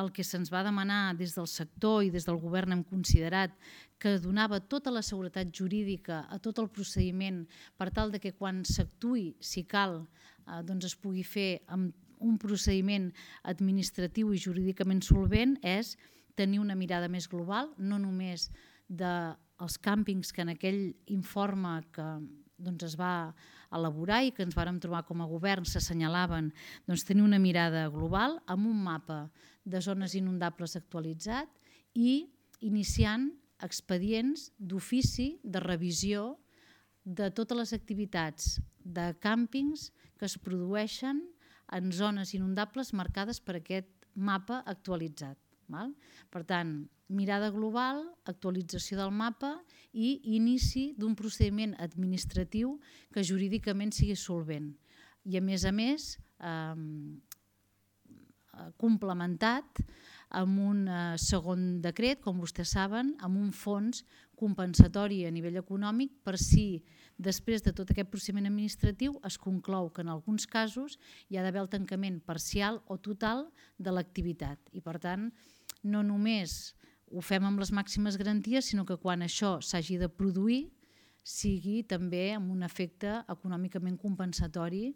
el que se'ns va demanar des del sector i des del govern hem considerat que donava tota la seguretat jurídica a tot el procediment per tal de que quan s'actuï, si cal, es pugui fer amb un procediment administratiu i jurídicament solvent és tenir una mirada més global, no només dels càmpings que en aquell informe que es va elaborar i que ens vàrem trobar com a govern s'assenyalaven, tenir una mirada global amb un mapa de zones inundables actualitzat i iniciant expedients d'ofici de revisió de totes les activitats de càmpings que es produeixen en zones inundables marcades per aquest mapa actualitzat. Per tant, mirada global, actualització del mapa i inici d'un procediment administratiu que jurídicament sigui solvent. I a més, complementat amb un segon decret, com vostès saben, amb un fons compensatori a nivell econòmic per si després de tot aquest procediment administratiu es conclou que en alguns casos hi ha d'haver el tancament parcial o total de l'activitat. I per tant, no només ho fem amb les màximes garanties, sinó que quan això s'hagi de produir sigui també amb un efecte econòmicament compensatori